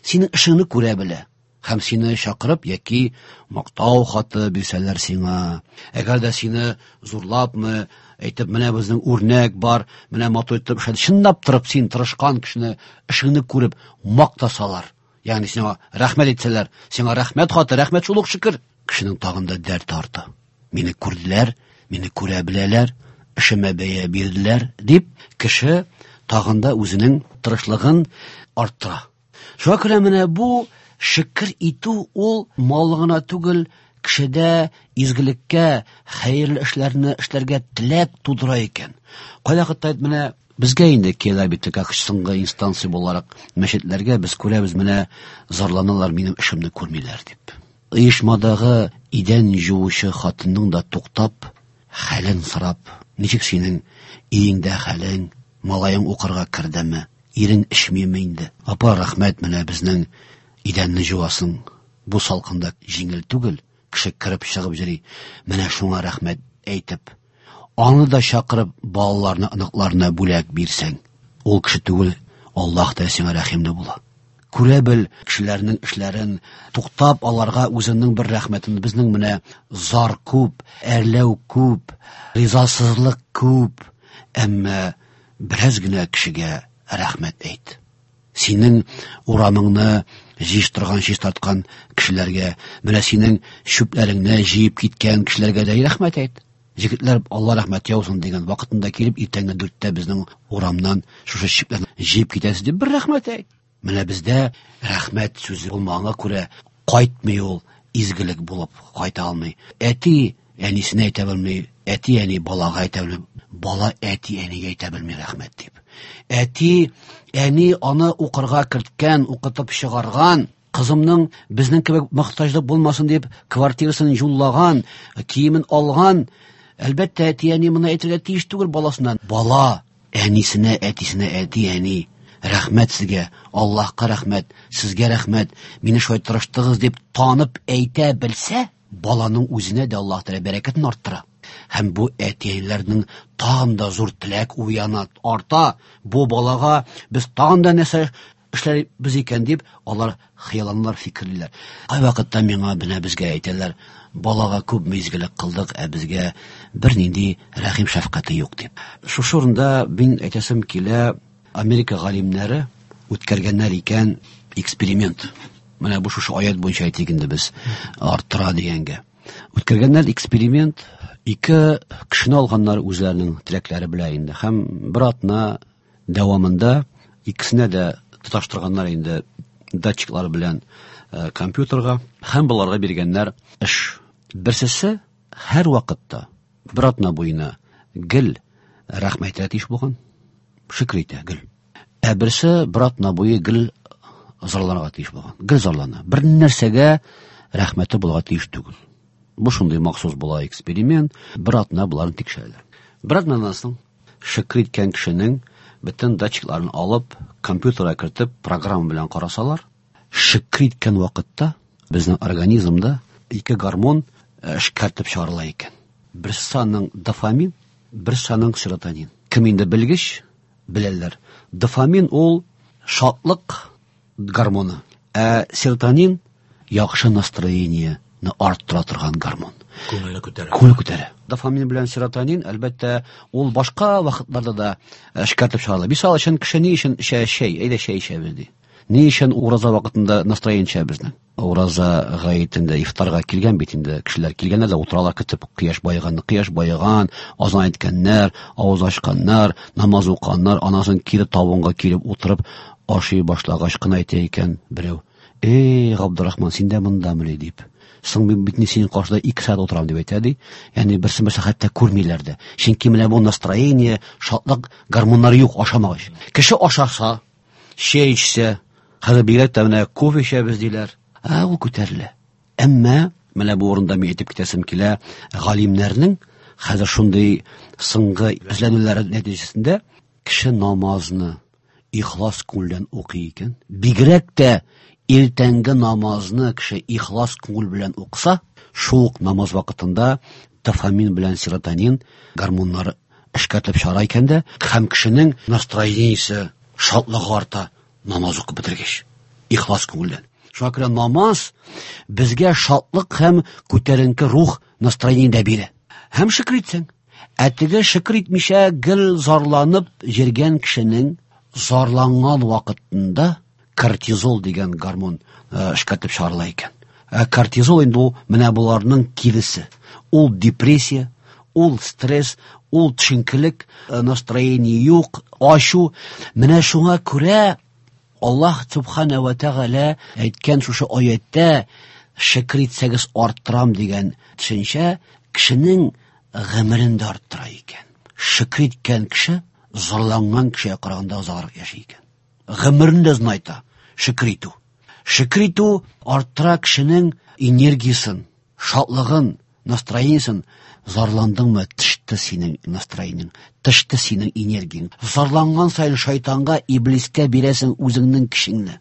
синең эшеңне күрә белә һәм сине чакырып яки мактау хаты бирсәләр сиңа, әгәр дә сине зурлапмы, әйтеп, менә безнең үрнәк бар, менә матур итеп эшләде, чынлап торып син тырышкан кешене, эшеңне күреп мактасалар, ягъни сиңа рәхмәт әйтсәләр, сиңа рәхмәт хаты, рәхмәт шул ук шөкер, кешенең тагын да дәрте арта. Мине күрделәр, мине күрә беләләр, эшемә бәя бирделәр дип, кеше тагын да үзенең тырышлыгын арттыра. Шуңа күрә менә бу шөкер итү ул мал гына түгел, кешедә изгелеккә, хәерле эшләрне эшләргә теләк тудыра икән. Кайвакытта менә безгә инде килә бит, как соңгы инстанция буларак мәчетләргә без күрәбез, менә зарланалар, минем эшемне күрмиләр дип. Оешмадагы идән жуучы хатынның да туктап, хәлен сорап, ничек синең өеңдә хәлең, малаең укырга кердеме, ирең эчмиме инде? Апа, рәхмәт, менә безнең идәнне жуасың. Бу салкында җиңел түгел, кеше кереп чыгып йөри. Менә шуңа рәхмәт әйтеп, аны да чакырып, балаларына, оныкларына бүләк бирсәң, ул кеше түгел, Аллаһ та сиңа рәхимле була. Күрә бел кешеләрнең эшләрен, туктап аларга үзеңнең бер рәхмәтен. Безнең менә зар күп, әрләү күп, ризасызлык күп, әмма бераз генә кешегә рәхмәт әйт. Синең урамыңны җыештырган, чистарткан кешеләргә, менә синең чүпләреңне җыеп киткән кешеләргә дә рәхмәт әйт. Җегетләр, Алла рәхмәт яусын дигән вакытында килеп, иртәнге 4-тә безнең урамнан шушы чүпләрне җыеп китәсез дип бер рәхмәт әйт. Менә бездә рәхмәт сүзе булмаганга күрә кайтмый ул, изгелек булып кайта алмый. Әти әнисенә әйтә белми, әти әни балага әйтә белми, бала әти әнигә әйтә белми рәхмәт дип. Әти әни аны укырга керткән, укытып чыгарган, кызымның безнең кебек мохтаҗлык булмасын дип квартирасын юллаган, киемен алган. Әлбәттә, әти әни моны әйтергә тиеш түгел баласына. Бала әнисенә, әтисенә, әти әни, рәхмәт сезгә, Аллаһка рәхмәт, сезгә рәхмәт, мине шулай тырыштыгыз дип танып әйтә белсә, баланың үзенә дә Аллаһ Тәгалә бәрәкәтен арттыра. Һәм бу әти-әниләрнең тагын да зур теләк уяна, арта. Бу балага без тагын да нәрсә эшләрбез икән дип, алар хыялланалар, фикерлиләр. Кайвакытта миңа менә безгә әйтәләр, балага күп изгелек кылдык, ә безгә бернинди рәхим шәфкате юк дип. Шушы урында мин әйтәсем килә, Америка галимнәре үткәргәннәр икән эксперимент. Менә бу шушы аят буенча әйтик инде без арттыра дигәнгә. Үткәргәннәр эксперимент, ике кешене алганнар үзләренең теләкләре белән инде. Һәм бер атна дәвамында икесенә дә тоташтырганнар инде датчиклар белән компьютерга һәм боларга биргәннәр эш. Берсесе һәр вакытта бер атна буена гел рәхмәт әйтергә тиеш булган, шөкер итә гел. Ә берсе бер атна буе гел зарланырга тиеш булган. Гел зарлана. Бер нәрсәгә рәхмәте булырга тиеш түгел. Бу шундый махсус була эксперимент. Бер атна боларны тикшерәләр. Бер атнадан соң шөкер иткән кешенең бөтен датчикларын алып, компьютерга кертеп, программа белән карасалар, шөкер иткән вакытта безнең организмда ике гормон эшкәртеп чыгарыла икән. Берсе аның дофамин, берсе аның серотонин. Кем инде белгеч, беләләр. Дофамин ул шатлык гормоны, ә серотонин яхшы настроениене арттыра торган гормон. Күңелне күтәрә. Күңел күтәрә. Дофамин белән серотонин, әлбәттә, ул башка вакытларда да эшкәртеп чыгарыла. Мисал өчен, кеше ни өчен эчә чәй? Әйдә чәй эчәбез ди. Ни өчен ураза вакытында настроение эчә безнең? Ураза гаетендә ифтарга килгән бит инде кешеләр килгәннәр дә утыралар көтеп, кояш баеганны, кояш баеган, азан әйткәннәр, авыз ачканнар, намаз укыганнар, анасын кире табынга килеп утырып ашый башлагач кына әйтә икән берәү: "Эй, Габдурахман, син дә мондамыни?" дип. Соң мин бит синең каршыда 2 сәгать утырам дип әйтә ди. Ягъни берсен-берсе хәтта күрмиләр дә. Чөнки менә бу настроение, шатлык гормоннары юк ашамагач. Кеше ашаса, чәй эчсә, хәзер бигрәк тә менә кофе эчәбез диләр. Ә ул күтәрелә. Әмма менә бу урында мин әйтеп китәсем килә, галимнәрнең хәзер шундый соңгы эзләнүләре нәтиҗәсендә кеше намазны ихлас күңелдән укый икән, бигрәк тә иртәнге намазны кеше ихлас күңел белән укыса, шул ук намаз вакытында дофамин белән серотонин гормоннары эшкәртеп чыгара икән дә, һәм кешенең настроениесе, шатлыгы арта намаз укып бетергәч, ихлас күңелдән. Шуңа күрә намаз безгә шатлык һәм күтәренке рух настроение дә бирә. Һәм шөкер итсәң, ә теге шөкер итмичә гел зарланып йөргән кешенең зарланган вакытында кортизол дигән гормон эшкәртеп чыгарыла икән. Ә кортизол инде ул менә боларның киресе. Ул депрессия, ул стресс, ул төшенкелек, настроение юк, ачу. Менә шуңа күрә Аллаһ Субхана ва Тәгалә әйткән шушы аятта шөкер итсәгез арттырам дигән төшенчә кешенең гомерен дә арттыра икән. Шөкер иткән кеше зарланган кешегә караганда озаграк яши икән. Гомерен дә озынайта шөкер итү. Шөкер итү арттыра кешенең энергиясен, шатлыгын, настроениесен. Зарландыңмы, төште синең настроениең, төште синең энергияң. Зарланган саен шайтанга, иблискә бирәсең үзеңнең көчеңне.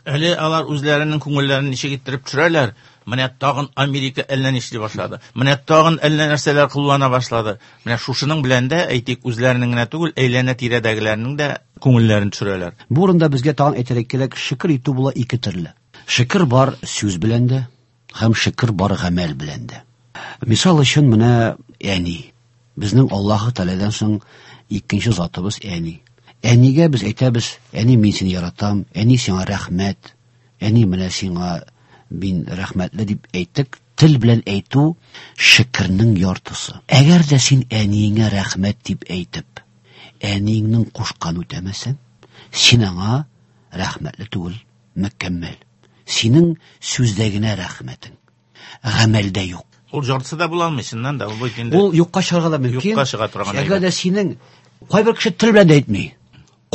Әле алар үзләренең күңелләрен ничек иттереп төшерәләр? Менә тагын Америка әллә нишли башлады. Менә тагын әллә нәрсәләр куллана башлады. Менә шушының белән дә, әйтик, үзләренең генә түгел, әйләнә-тирәдәгеләрнең дә күңелләрен төшерәләр. Бу урында безгә тагын әйтергә кирәк, шөкер итү була ике төрле. Шөкер бар сүз белән дә, һәм шөкер бар гамәл белән дә. Мисал өчен менә әни. Безнең Аллаһы Тәгаләдән соң икенче затыбыз әни. Әнигә без әйтәбез: "Әни, мин сине яратам, әни, сиңа рәхмәт, әни, менә сиңа мин рәхмәтле" дип әйттек. Тел белән әйтү шөкернең яртысы. Әгәр дә син әниеңә рәхмәт дип әйтеп, әниеңнең кушкан үтәмәсәң, син аңа рәхмәтле түгел, мөкәммәл. Синең сүздә генә рәхмәтең, гамәлдә юк. Ул яртысы да була алмый, чыннан да, ул бит инде. Ул юкка чыгарга да мөмкин. Юкка чыга торган Әгәр дә синең кайбер кеше тел белән дә әйтми.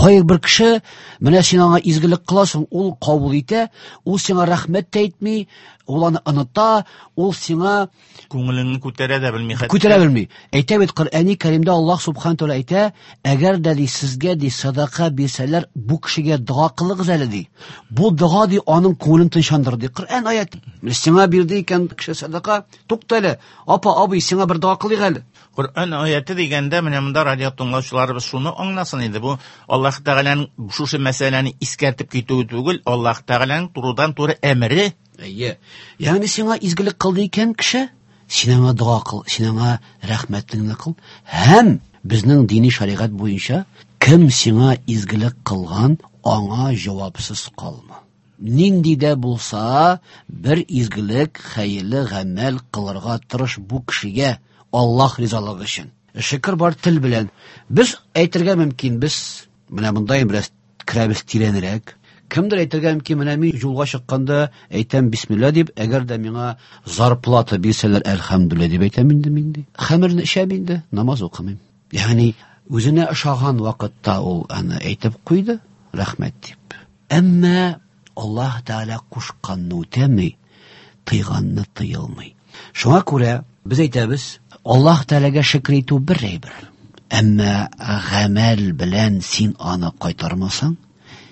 Кайбер кеше менә син аңа изгелек кыласың, ул кабул итә, ул сиңа рәхмәт тә әйтми, ул аны оныта, ул сиңа күңелеңне күтәрә дә белми хәтта. Күтәрә белми. Әйтә бит Коръәни Кәримдә Аллаһ Субхану тәгалә әйтә, әгәр дә ди сезгә ди садака бирсәләр, бу кешегә дога кылыгыз әле ди. Бу дога ди аның күңелен тынычландырыр ди. Коръән аят. Менә сиңа бирде икән кеше садака, тукта әле, апа, абый, сиңа бер дога кылыйк әле. Коръән аяты дигәндә, менә монда радио тыңлаучыларыбыз шуны аңласын инде, бу Аллаһ Тәгаләнең шушы мәсьәләне искәртеп китүе түгел, Аллаһ Тәгаләнең турыдан-туры әмере. Әйе. Ягъни сиңа изгелек кылды икән кеше, син аңа дога кыл, син аңа рәхмәтеңне кыл. Һәм безнең дини шәригать буенча кем сиңа изгелек кылган, аңа җавапсыз калма. Нинди дә булса бер изгелек, хәерле гамәл кылырга тырыш бу кешегә Аллаһ ризалыгы өчен. Шөкер бар тел белән. Без әйтергә мөмкин, без менә монда бераз керәбез тирәнрәк. Кемдер әйтергә мөмкин, менә мин юлга чыкканда әйтәм бисмилла дип, әгәр дә миңа зарплата бирсәләр, әлхәмдүлилләһ дип әйтәм инде мин ди. Хәмерне эчәм инде, намаз укымыйм. Ягъни Үзенә ошаган вакытта ул аны әйтеп куйды, рәхмәт дип. Әмма Аллаһ Тәгалә кушканны үтәми, тыйганны тыелмый. Шуңа күрә без әйтәбез, Аллаһ Тәгаләгә шөкер итү бер әйбер. Әмма гамәл белән син аны кайтармасаң,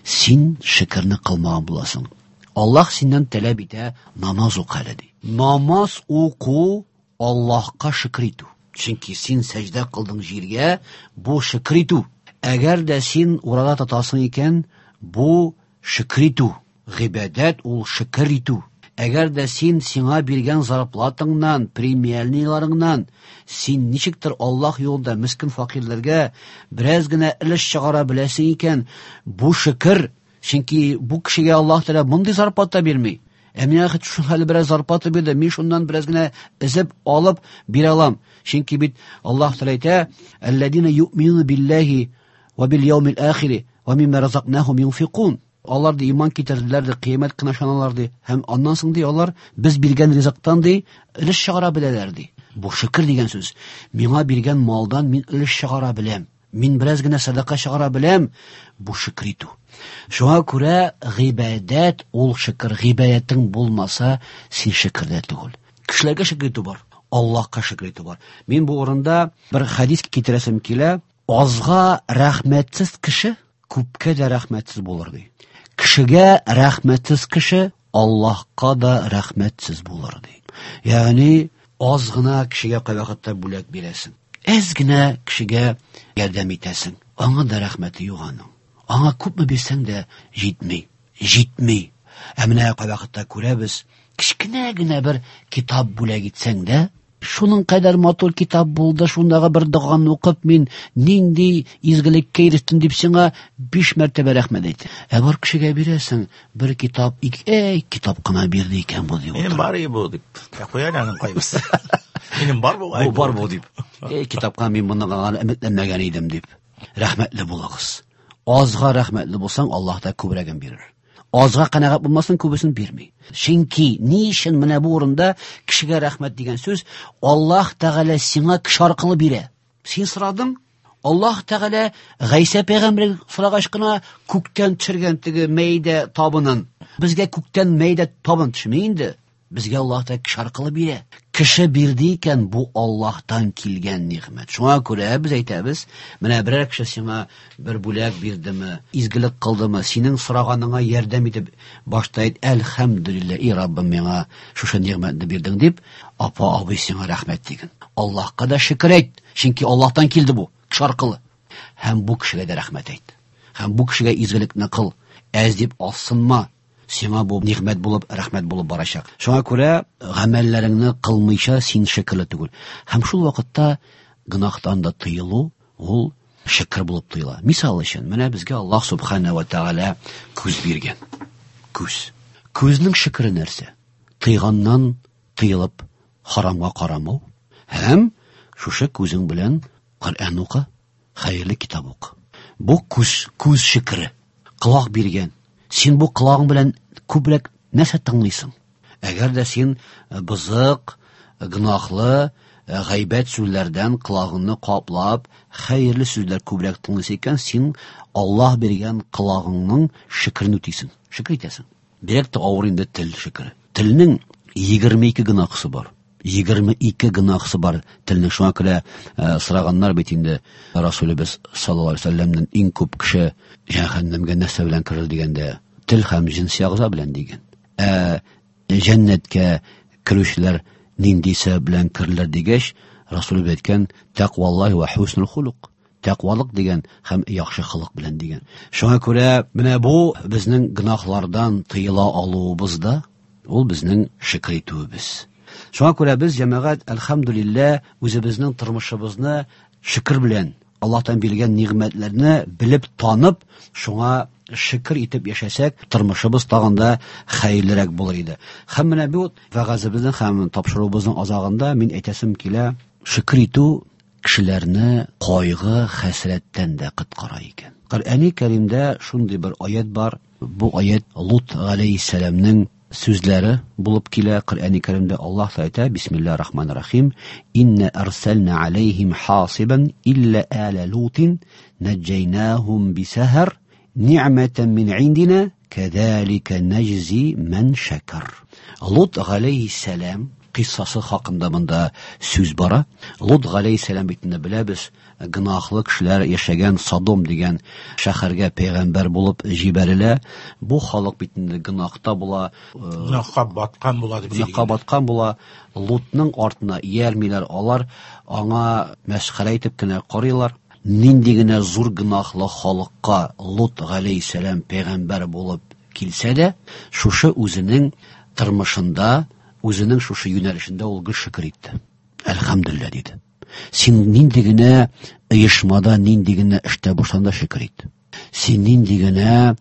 син шөкерне кылмаган буласың. Аллаһ синнән таләп итә намаз укы әле ди. Намаз уку Аллаһка шөкер итү. Чөнки син сәҗдә кылдың җиргә, бу шөкер итү. Әгәр дә син ураза тотасың икән, бу шөкер итү. Гыйбадәт ул шөкер итү. Әгәр дә син сиңа биргән зарплатаңнан, премияләреңнән, син ничектер Аллаһ юлында мискин факирләргә бераз генә өлеш чыгара беләсең икән, бу шөкер. Чөнки бу кешегә Аллаһ Тәгалә мондый зарплата бирми. Ә миңа хәтта шул хәле бераз зарплата бирде, мин шуннан бераз генә өзеп алып бирә алам. Чөнки бит Аллаһ Тәгалә әйтә: "Әлләзина юъминуна биллаһи ва бил яумил ахири ва мимма разакнахум юнфикун". Алар ди иман китерделәр ди, кыямәт көненә ышаналар ди. Һәм аннан соң ди алар без биргән ризыктан ди өлеш чыгара беләләр ди. Бу шөкер дигән сүз. Миңа биргән малдан мин өлеш чыгара беләм. Мин бераз генә садака чыгара беләм. Бу шөкер итү. Шуңа күрә гыйбадәт ул шөкер. Гыйбадәтең булмаса, син шөкердә түгел. Кешеләргә шөкер итү бар, Аллаһка шөкер итү бар. Мин бу урында бер хәдис китерәсем килә. Азга рәхмәтсез кеше күпкә дә рәхмәтсез булыр ди. Кешегә рәхмәтсез кеше Аллаһка да рәхмәтсез булыр ди. Ягъни аз гына кешегә кайвакытта бүләк бирәсең. Әз генә кешегә ярдәм итәсең. Аңа да рәхмәте юк аның. Аңа күпме бирсәң дә җитми. Җитми. Ә менә кайвакытта күрәбез, кечкенә генә бер китап бүләк итсәң дә, шуның кадәр матур китап булды, шундагы бер доганы укып мин нинди изгелеккә ирештем дип сиңа 5 мәртәбә рәхмәт әйтә. Ә бар кешегә бирәсең бер китап, ике, китап кына бирде икән бу дип. Минем бар бу дип. Ә куя аның кайбысы. Минем бар бу. Бу бар бу дип. Эй, китапка мин моны гына өметләнмәгән идем дип. Рәхмәтле булыгыз. Азга рәхмәтле булсаң, Аллаһ та күбрәген бирер. Азга канәгать булмасаң, күбесен бирми. Чөнки ни өчен менә бу урында кешегә рәхмәт дигән сүз Аллаһ Тәгалә сиңа кеше аркылы бирә. Син сорадың, Аллаһ Тәгалә Гайсә пәйгамбәр сорагач кына күктән төшергән теге мәйдә табынын. Безгә күктән мәйдә табын төшми инде. Безгә Аллаһ Тәгалә кеше аркылы бирә. Кеше бирде икән, бу Аллаһтан килгән нигъмәт. Шуңа күрә без әйтәбез, менә берәр кеше сиңа бер бүләк бирдеме, изгелек кылдымы, синең сораганыңа ярдәм итеп, башта әйт, әлхәмдүлилләһ, и Раббым, миңа шушы нигъмәтне бирдең дип, апа, абый сиңа рәхмәт диген. Аллаһка да шөкер әйт, чөнки Аллаһтан килде бу, кеше аркылы. Һәм бу кешегә дә рәхмәт әйт. Һәм бу кешегә изгелекне кыл. Әз дип азсынма. Сиңа бу нигъмәт булып, рәхмәт булып барачак. Шуңа күрә гамәлләреңне кылмыйча син шөкерле түгел. Һәм шул вакытта гөнаһтан да тыелу ул шөкер булып тоела. Мисал өчен, менә безгә Аллаһ субхана ва тааля күз биргән. Күз. Күзнең шөкере нәрсә? Тыйганнан тыелып харамга карамау һәм шушы күзең белән Коръән укы, хәерле китап укы. Бу күз, күз шөкере. Колак биргән. Син бу колагың белән күбрәк нәрсә тыңлыйсың? Әгәр дә син бозык, гөнаһлы, гайбәт сүзләрдән колагыңны каплап, хәерле сүзләр күбрәк тыңлыйсың икән, син Аллаһ биргән колагыңның шөкерен үтисең, шөкер итәсең. Бигрәк тә авыр инде тел шөкере. Телнең 22 гөнаһысы бар. 22 гөнаһысы бар телнең. Шуңа күрә сораганнар бит инде Расулыбыз саллаллаһу алейһи ва сәлләмнән иң күп кеше җәһәннәмгә нәрсә белән керер дигәндә, тел һәм җенси агъза белән дигән. Ә җәннәткә керүчеләр нинди сәбәп белән керерләр дигәч, Расулыбыз әйткән, тәкъваллаһи ва хуснул хулук. Тәкъвалык дигән һәм яхшы холык белән дигән. Шуңа күрә менә бу безнең гөнаһлардан тыела алуыбыз да, ул безнең шөкер итүебез. Шуңа күрә без, җәмәгать, әлхәмдүлилләһ, үзебезнең тормышыбызны шөкер белән, Аллаһтан бирелгән нигъмәтләрне белеп, танып, шуңа шөкер итеп яшәсәк, тормышыбыз тагын да хәерлерәк булыр иде. Һәм менә бу вәгазебезнең һәм тапшыруыбызның азагында мин әйтәсем килә, шөкер итү кешеләрне кайгы, хәсрәттән дә коткара икән. Коръәни Кәримдә шундый бер аят бар. Бу аят Лут галәйһиссәламнең сүзләре булып килә. Коръәни Кәримдә Аллаһ әйтә: Бисмиллаһир Рахманир Рахим, инна арсална алейхим хасибан илля аля лутин наджайнахум бисахар ни'матан мин индина кәзәлика наҗзи ман шакар. Лут галәйһиссәлам кыйссасы хакында монда сүз бара. Лут галәйһиссәлам бит инде беләбез, гөнаһлы кешеләр яшәгән Содом дигән шәһәргә пәйгамбәр булып җибәрелә. Бу халык бит инде гөнаһта була, гөнаһка баткан була дип. Гөнаһка баткан була. Лутның артына иярмиләр, алар аңа мәсхәрә итеп кенә карыйлар. Нинди генә зур гөнаһлы халыкка Лут галәйһиссәлам пәйгамбәр булып килсә дә, шушы үзенең тормышында, үзенең шушы юнәлешендә ул гел шөкер итте. Әлхәмдүлилләһ диде. Син нинди генә оешмада, нинди генә эштә булсаң да шөкер ит. Син нинди генә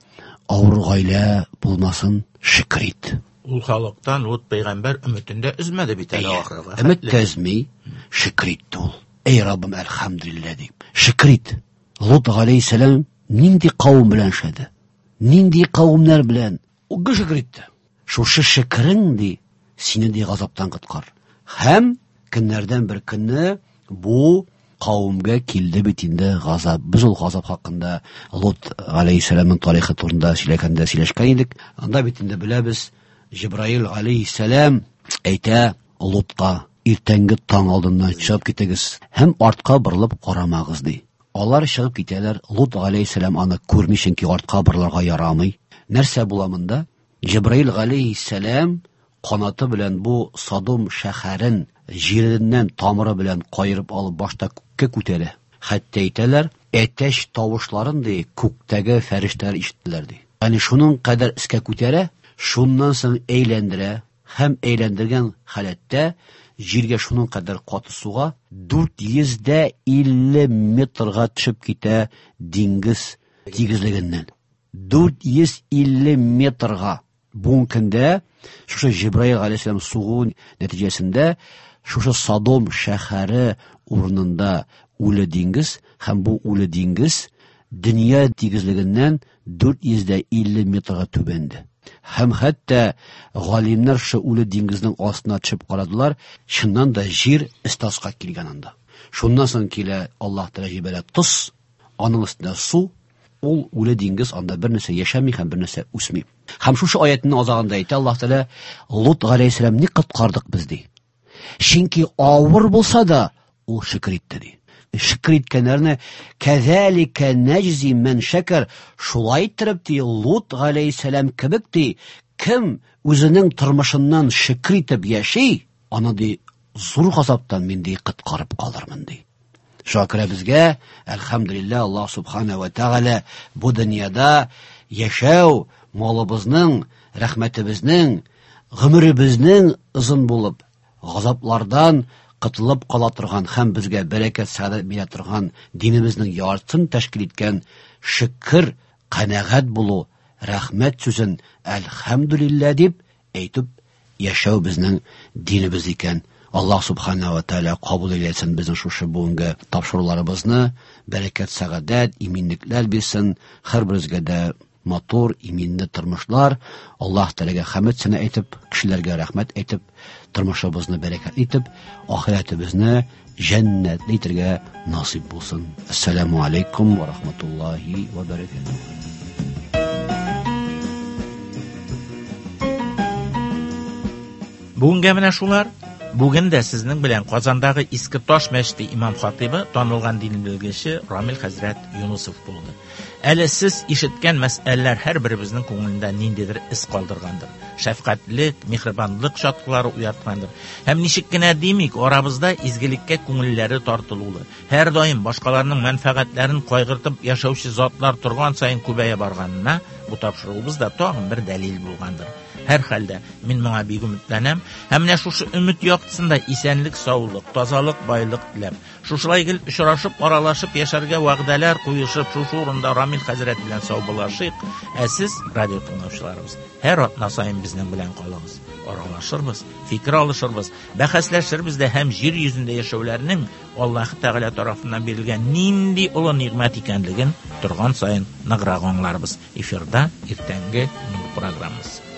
авыр гаилә булмасын, шөкер ит. Ул халыктан Лут пәйгамбәр өметен дә өзмәде бит әле ахырга. Өмет тә өзми, шөкер итте ул. Эй Раббым, әлхәмдүлилләһ дип. Шөкер ит. Лут галәйһиссәлам нинди кавым белән эшләде? Нинди кавымнар белән? Ул гел шөкер итте. Шушы шөкерең ди, сине ди газаптан коткар. Һәм көннәрдән бер көнне бу кавымга килде бит инде газап. Без ул газап хакында Лут галәйһиссәламның тарихы турында сөйләгәндә сөйләшкән идек. Анда бит инде беләбез, Җибраил галәйһиссәлам әйтә Лутка: иртәнге таң алдыннан чыгып китегез һәм артка борылып карамагыз ди. Алар чыгып китәләр. Лут галәйһиссәлам аны күрми, чөнки артка борылырга ярамый. Нәрсә була монда? Җибраил галәйһиссәлам канаты белән бу Содом шәһәрен җиреннән тамыры белән каерып алып башта күккә күтәрә. Хәтта әйтәләр, әтәч тавышларын ди, күктәге фәрештәләр ишеттеләр ди. Ягъни шуның кадәр өскә күтәрә, шуннан соң әйләндерә һәм әйләндергән халәттә җиргә шуның кадәр каты суга 450 метрга төшеп китә диңгез тигезлегеннән. 450 метрга. Бүгенге көндә шушы Җибраил галәйһиссәлам сугу нәтиҗәсендә шушы Содом шәһәре урынында үле диңгез, һәм бу үле диңгез дөнья тигезлегеннән 450 метрга түбәнде. Һәм хәтта галимнәр шушы үле диңгезнең астына төшеп карадылар, чыннан да җир өстаска килгән анда. Шуннан соң килә Аллаһ Тәгалә җибәрә тоз, аның өстенә су, ул үле диңгез, анда бер нәрсә яшәми һәм бер нәрсә үсми. Һәм шушы аятның азагында әйтә Аллаһ Тәгалә, Лут галәйһиссәлам ни коткардык без ди. Чөнки авыр булса да ул шөкер итте ди. Шөкер иткәннәрне кәзәликә наҗзи ман шәкәр, шулай иттереп ди Лут галәйһиссәлам кебек ди, кем үзенең тормышыннан шөкер итеп яши, аны ди зур газаптан мин ди коткарып калырмын ди. Шуңа күрә безгә, әлхәмдүлилләһ, Аллаһ субхана ва тәгалә бу дөньяда яшәү малыбызның, рәхмәтебезнең, гомеребезнең озын булып, газаплардан котылып кала торган һәм безгә бәрәкәт, сәгадәт бирә торган динебезнең яртысын тәшкил иткән шөкер, канәгать булу, рәхмәт сүзен әлхәмдүлилләһ дип әйтеп яшәү безнең динебез икән. Аллаһ субхана ва тәгалә кабул әйләсен безнең шушы бүгенге тапшыруларыбызны, бәрәкәт, сәгадәт, иминлекләр бирсен, һәрберебезгә дә матур, иминле тормышлар. Аллаһ Тәгаләгә хәмд сәна әйтеп, кешеләргә рәхмәт әйтеп, тормышыбызны бәрәкәтле итеп, ахирәтебезне җәннәтле итәргә насыйп булсын. Ассаламу алейкум ва рахматуллахи ва баракатуһ. Бүгенгә менә шулар. Бүген дә сезнең белән Казандагы Иске Таш мәчете имам хатибы, танылган дин белгече Рамил хәзрәт Юнусов булды. Әле сез ишеткән мәсьәләләр һәрберебезнең күңелендә ниндидер эз калдыргандыр. Шәфкатьлек, миһербанлык чаткылары уяткандыр. Һәм ничек кенә димик, арабызда изгелеккә күңелләре тартылулы, һәр даим башкаларның мәнфәгатьләрен кайгыртып яшәүче затлар торган саен күбәя барганына бу тапшыруыбыз да тагын бер дәлил булгандыр. Һәр хәлдә мин моңа бик өметләнәм. Һәм менә шушы өмет яктысында исәнлек, саулык, тазалык, байлык теләп, шушылай гел очрашып, аралашып яшәргә вәгъдәләр куешып, шушы урында Рамил хәзрәт белән саубуллашыйк. Ә сез, радио тыңлаучыларыбыз, һәр атна саен безнең белән калыгыз. Аралашырбыз, фикер алышырбыз, бәхәсләшербез дә һәм җир йөзендә яшәүләрнең Аллаһ Тәгалә тарафыннан бирелгән нинди олы нигъмәт икәнлеген торган саен ныграк аңларбыз. Эфирда иртәнге Нур программасы.